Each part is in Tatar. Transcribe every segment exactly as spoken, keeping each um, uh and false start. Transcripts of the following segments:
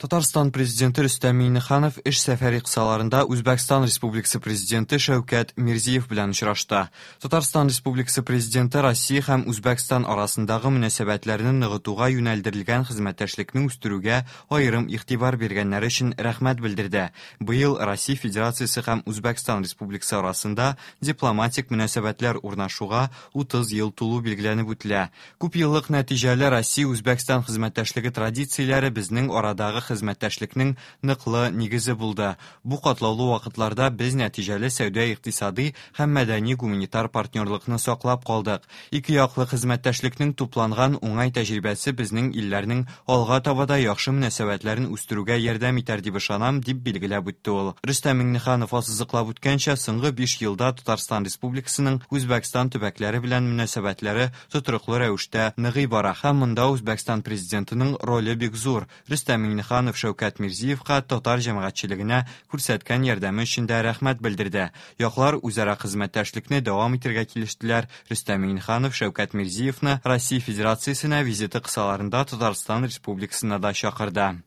Татарстан Президенты Рөстәм Миңнеханов эш сәфәре кысаларында Үзбәкстан Республикасы Президенты Шәүкәт Мирзиев белән очрашты. Татарстан Республикасы Президенты Россия һәм Үзбәкстан арасындагы мөнәсәбәтләрне ныгытуга юнәлдерелгән хезмәттәшлекне үстерүгә аерым игътибар биргәннәре өчен рәхмәт белдерде. Быел Россия Федерациясе һәм Үзбәкстан Республикасы арасында дипломатик мөнәсәбәтләр урнашуга утыз ел тулу билгеләнеп үтелә. Күпьеллык нәтиҗәле Россия-Үзбәкстан хезмәттәшлеге традицияләре безнең арадагы хезмәттәшлекнең ныклы нигезе булды. Бу катлаулы вакытларда без нәтиҗәле сәүдә-икътисади һәм мәдәни-гуманитар партнерлыкны саклап калдык. Ике яклы хезмәттәшлекнең тупланган уңай тәҗрибәсе безнең илләрнең алга таба да яхшы мөнәсәбәтләрен үстерүгә ярдәм итәр дип ышанам, дип билгеләп үтте ул. Рөстәм Миңнеханов ассызыклап үткәнчә, соңгы биш елда Татарстан Республикасының Үзбәкстан төбәкләре белән мөнәсәбәтләре тотрыклы рәвештә ныгый бара һәм монда Үзбәкстан президентының роле бик зур. Рөстәм Миңнеханов Шәүкәт Мирзиевка татар җәмәгатьчелегенә күрсәткән ярдәме өчен дә рәхмәт белдерде. Яклар үзара хезмәттәшлекне дәвам итәргә килештеләр. Рөстәм Миңнеханов Шәүкәт Мирзиевны Россия Федерациясенә визиты кысаларында Татарстан Республикасына да чакырды.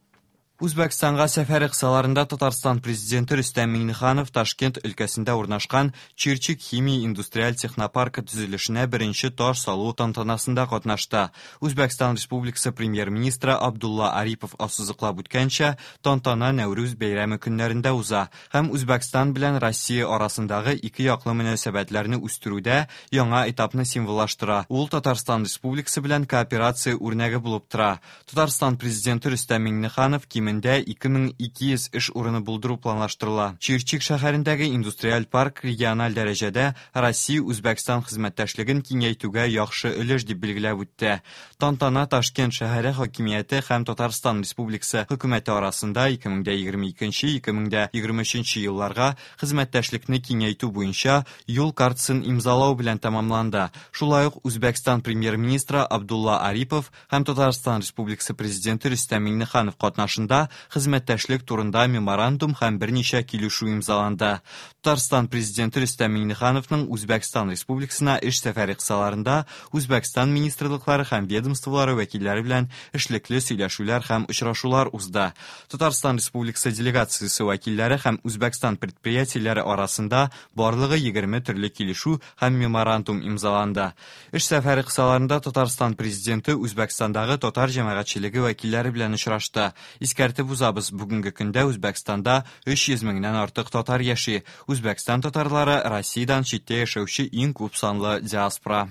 Үзбәкстанга сәфәре кысаларында Татарстан Президенты Рөстәм Миңнеханов Ташкент өлкәсендә урнашкан Чирчик химия индустриаль технопаркы төзелешенә беренче таш салу тантанасында катнашты. Үзбәкстан Республикасы премьер-министры Абдулла Арипов ассызыклап үткәнчә, тантана Нәүрүз бәйрәме көннәрендә уза һәм Үзбәкстан белән Россия арасындагы ике яклы мөнәсәбәтләрне үстерүдә яңа этапны символлаштыра. Ул Татарстан Республикасы белән кооперация үрнәге булып тора. Татарстан Президенты Рөстәм Миңнеханов кимендә ике мең ике йөз эш урыны булдыру планлаштырыла. Чирчик шәһәрендәге индустриаль парк региональ дәрәҗәдә Россия-Үзбәкстан хезмәттәшлеген киңәйтүгә яхшы өлеш дип билгеләп үтте. Тантана Ташкент шәһәре хакимияте һәм Татарстан Республикасы хөкүмәте арасында ике мең егерме икенче - ике мең егерме өченче елларга хезмәттәшлекне киңәйтү буенча юл картасын имзалау белән тәмамланды. Шулай ук Үзбәкстан премьер-министры Абдулла Арипов һәм Татарстан Республикасы Президенты Рөстәм Миңнеханов катнашында хезмәттәшлек турында меморандум һәм берничә килешү имзаланды. Татарстан Президенты Рөстәм Миңнехановның Үзбәкстан Республикасына эш сәфәре кысаларында Үзбәкстан министрлыклары һәм ведомстволары вәкилләре белән эшлекле сөйләшүләр һәм очрашулар узды. Татарстан Республикасы делегациясе вәкилләре һәм Үзбәкстан предприятиеләре арасында барлыгы егерме төрле килешү һәм меморандум имзаланды. Эш сәфәре кысаларында Татарстан Президенты Үзбәкстандагы татар җәмәгатьчелеге вәкилләре белән очрашты. Искәртеп узабыз, бүгенге көндә Үзбәкстанда өч йөз меңнән артык татар яши. Үзбәкстан татарлары Россиядән читтә яшәүче иң күп санлы диаспора.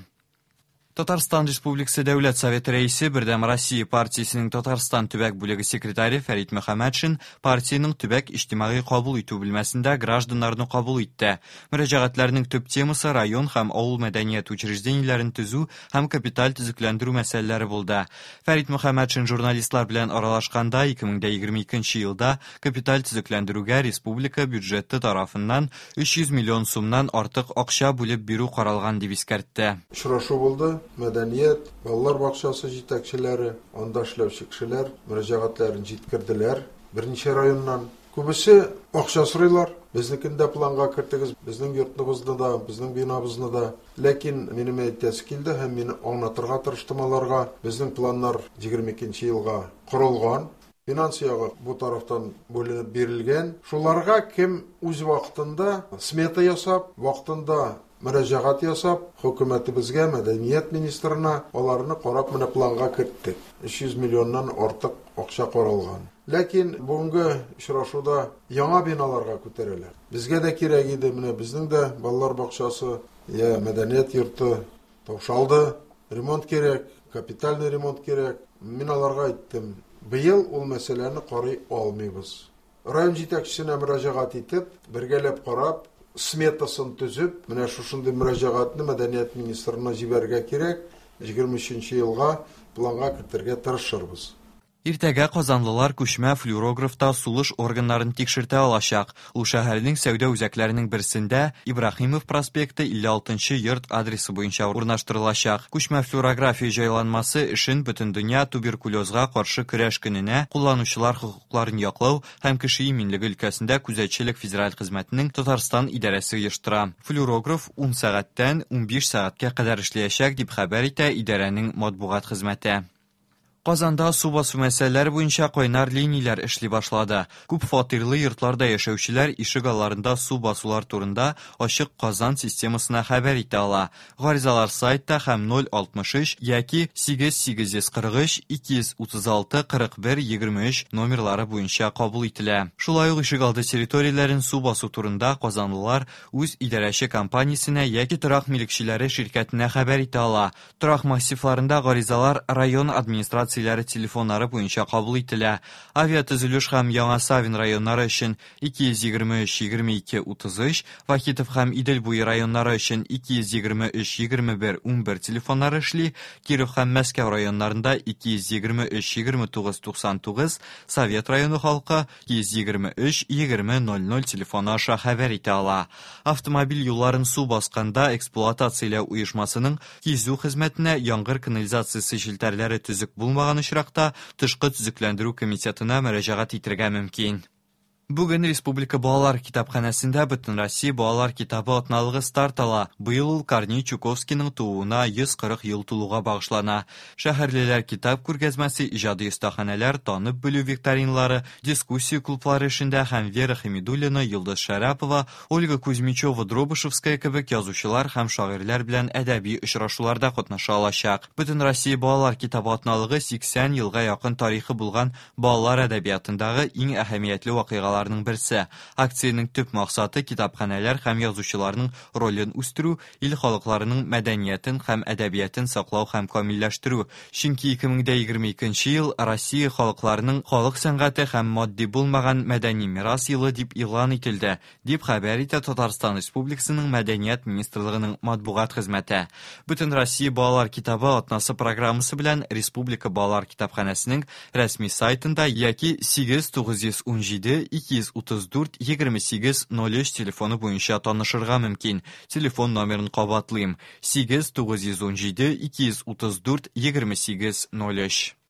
Татарстан Республикасы Дәүләт Советы рәисе, Бердәм Россия партиясенең Татарстан төбәк бүлеге секретаре Фәрит Мөхәммәтшин партиянең төбәк иҗтимагый кабул итү бүлмәсендә гражданнарны кабул итте. Мөрәҗәгатьләрнең төп темасы район һәм авыл мәдәният учреждениеләрен төзү һәм капиталь төзекләндерү мәсьәләләре булды. Фәрит Мөхәммәтшин журналистлар белән аралашканда ике мең егерме икенче елда капиталь төзекләндерүгә республика бюджеты тарафыннан өч йөз миллион сумнан артык акча бүлеп бирү каралган дип искәртте. Очрашу булды. Мәдәният, балалар бакчасы җитәкчеләре, анда эшләүче кешеләр мөрәҗәгатьләрен җиткерделәр берничә районнан. Күбесе акча сорыйлар, безнекен дә планга кертегез, безнең йортыбызны да, безнең бинабызны да. Ләкин минем әйтәсе килде һәм мин аңлатырга тырыштым аларга. Безнең планнар егерме икенче елга корылган. Финанс ягы бу тарафтан бүленеп бирелгән. Шуларга кем үз вакытында смета ясап, вакытында мөрәҗәгать ясап, хөкүмәтебезгә, мәдәният министрына аларны карап менә планга керттек. Өч йөз миллионнан артык акча каралган. Ләкин бүгенге очрашуда яңа биналарга күтәрәләр. Безгә дә кирәк иде, менә безнең дә балалар бакчасы, я мәдәният йорты таушалды. Ремонт кирәк, капитальный ремонт кирәк. Мин аларга әйттем, быел ул мәсьәләне карый алмыйбыз. Район җитәкчесенә мөрәҗәгать итеп, бергәләп карап, сметасын төзеп, менә шушындый мөрәҗәгатьне мәдәният министрына җибәрергә кирәк, егерме өченче елга планга кертергә тырышырбыз. Иртәгә казанлылар күчмә флюорографта сулыш органнарын тикшертә алачак. Ул шәһәрнең сәүдә үзәкләренең берсендә Ибраһимов проспекты илле алтынчы йорт адресы буенча урнаштырылачак. Күчмә флюорография җайланмасы эшен Бөтендөнья туберкулезга каршы көрәш көненә кулланучылар хокукларын яклау һәм кеше иминлеге өлкәсендә күзәтчелек федераль хезмәтенең Татарстан идарәсе оештыра. Флюорограф ун сәгатьтән унбиш сәгатькә кадәр эшләячәк дип хәбәр итә идарәнең матбугат хезмәте. Казанда су басу мәсьәләләре буенча кайнар линияләр эшли башлады. Күп фатирлы йортларда яшәүчеләр ишек алларында су басулар турында Ачык Казан системасына хәбәр итә ала. Гаризалар сайтта һәм ноль алтмыш өч яки сигез сигез йөз кырык өч ике йөз утыз алты кырык бер егерме өч номерлары буенча кабул ителә. Шулай ук ишек алды территорияләрен су басу турында казанлылар үз идарәче компаниясенә яки торак милекчеләре ширкәтенә хәбәр итә ала. Торак массивларында гаризалар район администрациясе телефоннары буенча кабул ителә. Авиатөзелеш һәм Яңа Савин районнары өчен ике йөз егерме өч егерме ике утыз өч, Вахитов һәм Идел буе районнары өчен ике йөз егерме өч егерме бер унбер телефоннары эшли, Киров һәм Мәскәү районнарында ике йөз егерме өч егерме тугыз туксан тугыз, Совет районы халкы ике йөз егерме өч егерме ноль ноль телефоны аша хәбәр итә ала. Автомобиль юлларын су басканда эксплуатацияләү оешмасының кизү хезмәтенә яңгыр канализациясе челтәрләре төзек булмаган очракта тышкы төзекләндерү комитетына мөрәҗәгать итәргә мөмкин. Бүген Республика балалар китапханәсендә Бөтенроссия балалар китабы атналыгы старт ала. Быел ул Корней Чуковскийның тууына йөз кырык ел тулуга багышлана. Шәһәрлеләр китап күргәзмәсе, иҗади остаханәләр, танып белү викториналары, дискуссия клублары эшендә һәм Вера Хәмидуллина, Йолдыз Шәрәпова, Ольга Кузьмичева-Дробышевская кебек язучылар һәм шагыйрьләр белән әдәби очрашуларда катнаша алачак. Бөтенроссия балалар китабы атналыгы сиксән елга якын тарихы булган балалар әдәбиятындагы иң әһәмиятле вакыйгалар берсе. Акциянең төп максаты китапханәләр һәм язучыларның ролен үстерү, ил халыкларының мәдәниятен һәм әдәбиятын саклау һәм камилләштерү. Чөнки ике мең дә егерме икенче ел Россия халыкларының халык сәнгате һәм матди булмаган мәдәни мирас елы дип игълан ителде, дип хәбәр итә Татарстан Республикасының Мәдәният министрлыгының матбугат хезмәте. Бөтен Россия балалар китабы атнасы программасы белән Республика балалар китапханәсенең рәсми сайтында яки сигез тугыз йөз унҗиде ике йөз утыз дүрт егерме сигез ноль өч телефоны буенча танышырга мөмкин. Телефон номерын кабатлыйм: сигез тугыз йөз унҗиде ике йөз утыз дүрт егерме сигез ноль өч.